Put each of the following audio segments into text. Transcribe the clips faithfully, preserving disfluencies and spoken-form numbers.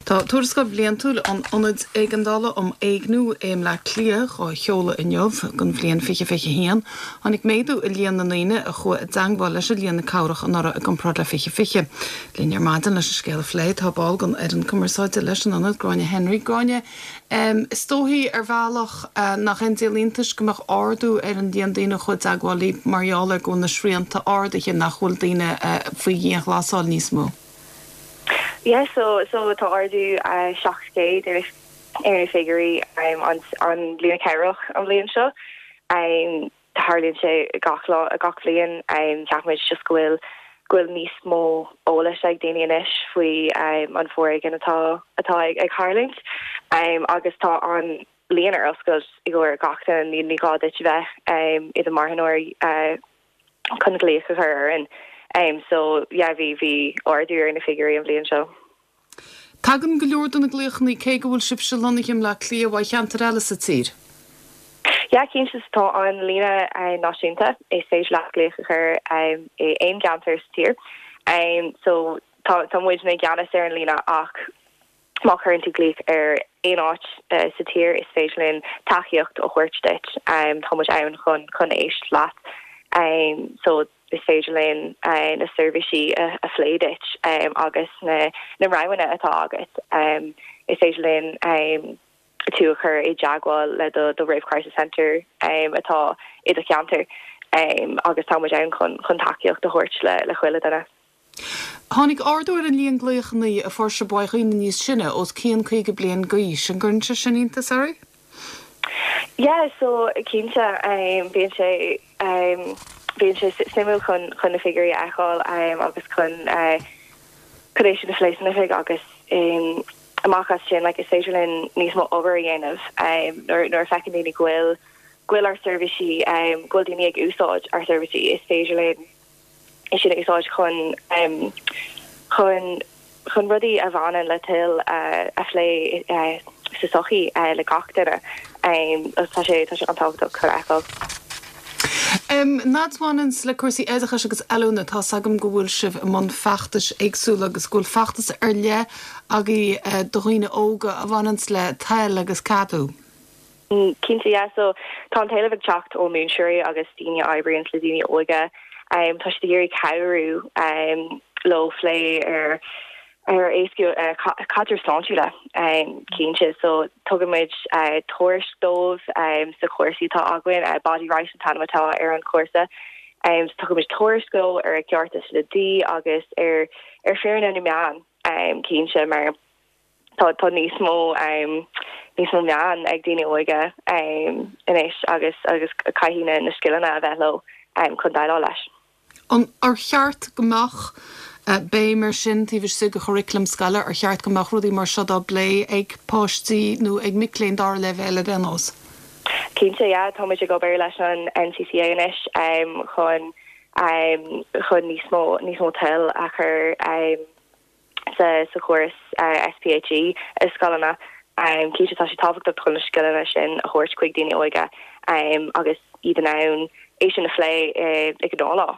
Tá tuarascáil bhliantúil an Ionaid Éigeandála um Éigniú i mBleá Cliath á sheoladh inniu don bhliain fiche fiche haon. Tháinig méadú i líon na ndaoine a chuaigh i dteagmháil leis an líne cabhrach anuraidh i gcomparáid le fiche fiche. Linn ar maidin leis an scéal a phlé tá ball den fhoireann cumarsáide leis an ionad Gráinne Henry Gráinne. Um, is dóigh ar bhealach uh, nach aon díol iontais go mbeadh ardú ar an líon daoine a chuaigh i dteagmháil libh mar gheall ar go bhfuil na srianta ardaithe nach bhfuil daoine uh, faoi dhianghlasáil níos mó. Yeah, so so tá ardú uh, seacht gcéad ar ar na figiúirí um, an an líne cabhrach an bhliain seo. Um, tarlaíonn sé gach lá gach bliain um, ceapaimid just go bhfuil go bhfuil níos mó eolais ag daoine anois faoi um, an foréigean atá atá ag ag tarlúint um, agus tá an líne ar oscailt i gcomhair gach duine ní ní gá duit bheith um, i do mharthanóir uh, chun glaoch a chur ar an. Um, so yeah, bhí bhí ardú ar na figiúirí an bhliain seo. Tagann go leor de na glaochanna cé go bhfuil sibhse lonnaithe i mBleá Cliath ó cheantar eile sa tír. Ja cinnte tá an líne uh, náisiúnta is féidir leat glaoch a chur um, i aon cheantar sa tír. Um, so tá tá muid i gceannas ar an líne ach má chuireann tú glaoch ar aon áit uh, sa tír is féidir linn tacaíocht a thabhairt duit um, tá muid ann chun chun éisteacht leat. Um, so is féidir linn uh, na seirbhísí a, a phlé duit um, agus na, na roghanna atá agat. Um, is féidir linn um, tú a chur i dteagmháil le do do Rape Crisis Center um, atá i do cheantar um, agus tá muid ann chun chun tacaíocht a thabhairt le le chuile duine. Tháinig ardú ar an líon glaochanna a fuair sibh ó dhaoine níos sine os cionn caoga bliain d'aois an gcuireann sé sin iontas oraibh? Yeah, so cinnte um, bíonn sé um, bíonn sé suimiúil chun chun na figiúirí a fháil um, agus chun uh, chun é sin a phlé san oifig agus um, amach as sin like, is féidir linn níos mó obair a dhéanamh um, nuair nuair a fheiceann daoine go bhfuil go bhfuil ár seirbhísí um, go bhfuil daoine ag úsáid ár seirbhísí is féidir linn é sin a úsáid chun um, chun chun rudaí a bhaineann le toil uh, a phlé uh, sa sochaí uh, le gach duine um, tá sé tá sé an-tábhachtach chun a fheiceáil. Um, Nad bhaineann le cúrsaí oideachais agus oiliúna tá agam go bhfuil sibh i mbun feachtais éagsúla agus go bhfuil feachtas ar leith agaibh uh, do dhaoine óga a bhaineann le toil agus ceadú. Mm, Cinnte yeah, so tá an t-éileamh ag teacht ó mhúinteoirí agus daoine a oibríonn le daoine óga. Um, tá siad ag iarraidh cabhrú um, leo plé ar ar éascú uh, caidrimh sláintiúla um, cinnte so tugaimid uh, tuairisc dóibh um, sa chúrsa atá againn uh, body right an t-ainm atá ar an chúrsa um, so tugaimid tuairisc dóibh ar a gcearta sa dlí agus ar ar fírinne na meán um, cinnte mar tá tá níos mó um, níos mó meán ag daoine óga um, anois agus agus caithfidh na na scileanna a bheith leo um, chun déileáil leis. An ar cheart go mbeadh uh, béim mar sin taobh istigh de churaclam scoile ar cheart go mbeadh rudaí mar seo á bplé ag páistí nó ag mic léinn dara leibhéal ar aon nós. Cinnte yeah, tá muid ag obair leis an NCCA anois um, chun um, chun níos mó níos mó toil a chur um, sa sa chóras uh, SPHE i scoileanna um, cinnte tá sé tábhachtach chun na scileanna sin a thabhairt chuig daoine óga um, agus iad in ann é sin a phlé uh, ag an lá.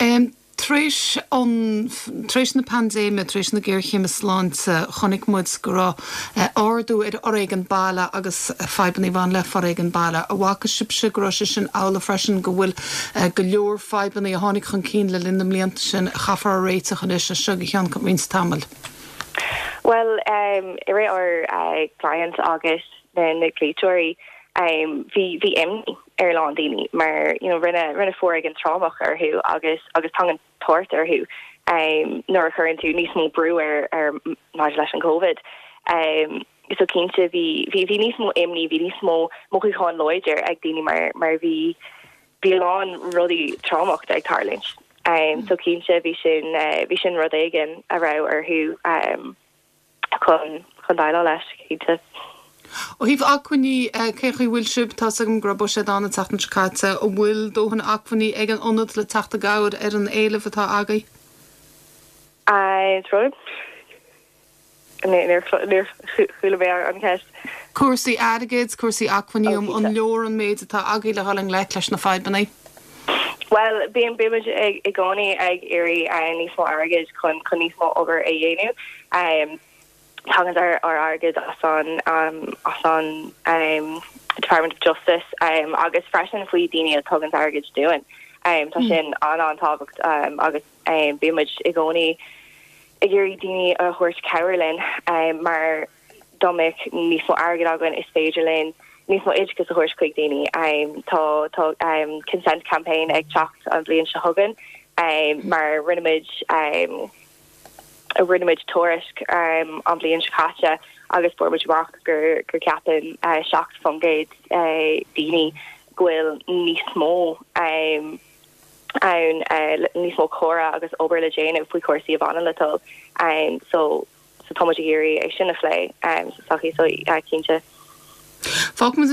Um, Tréis an tréis na paindéime tréis na géarchéime sláinte chonaic muid go raibh eh, ardú ar fhoréigean baile agus fadhbanna a bhain le foréigean baile. An bhfaca sibhse go raibh sé sin amhlaidh freisin go bhfuil eh, go leor fadhbanna a tháinig chun cinn le linn na mblianta sin a chaithfear a réiteach anois seo go ceann roinnt tamaill. Well um, i ré ár uh, client agus na na glaoiteoirí um, bhí bhí imní ar lán daoine mar you know, rinne rinne foréigean trámach orthu agus agus tagann tort orthu um, nuair a chuireann tú níos mó brú ar ar maidir leis an COVID. Um, so cinnte bhí bhí bhí níos mó imní bhí níos mó mothúcháin láidir ag daoine mar mar bhí bhí lán rudaí trámach ag tarlúint. Um, so cinnte bhí sin uh, bhí sin rud éigin a raibh orthu um, chun chun déileáil leis cinnte. Ó thaobh acmhainní cé bhfuil sibh tá agam go raibh sé an tseachtain seo caite an bhfuil dóthain acmhainní ag an ionad le teacht i gcabhair ar an éileamh atá agaibh? Rud chuala mé an cheist. Cúrsaí airgid, cúrsaí acmhainní um an leor an méid atá agaibh le dul i ngleic leis na fadhbanna. Well bíonn bímid ag i gcónaí ag iarraidh níos mó airgid chun chun níos mó obair a dhéanamh. Um, Tagann ár ár airgead as an um, as an um, Department of Justice um, agus freisin faoi daoine a tugann airgead dúinn. Um, tá sin an an-tábhachtach um, agus um, bímid i gcónaí ag iarraidh daoine a thabhairt cabhair linn um, mar dá mbeadh níos mó airgead againn is féidir linn níos mó oideachas a thabhairt chuig daoine um, tá tá um, consent campaign ag teacht an bhliain seo chugainn um, mar rinne muid um, a rinne muid tuairisc um, an bhliain seo caite agus fuair muid amach gur gur ceapann uh, seacht faoin gcéad uh, daoine go bhfuil níos mó um, ann uh, níos mó comhrá agus obair le déanamh faoi chúrsaí a bhaineann le toil um, so so tá muid ag iarraidh é sin a phlé um, so so uh, cinnte. Fágfaimid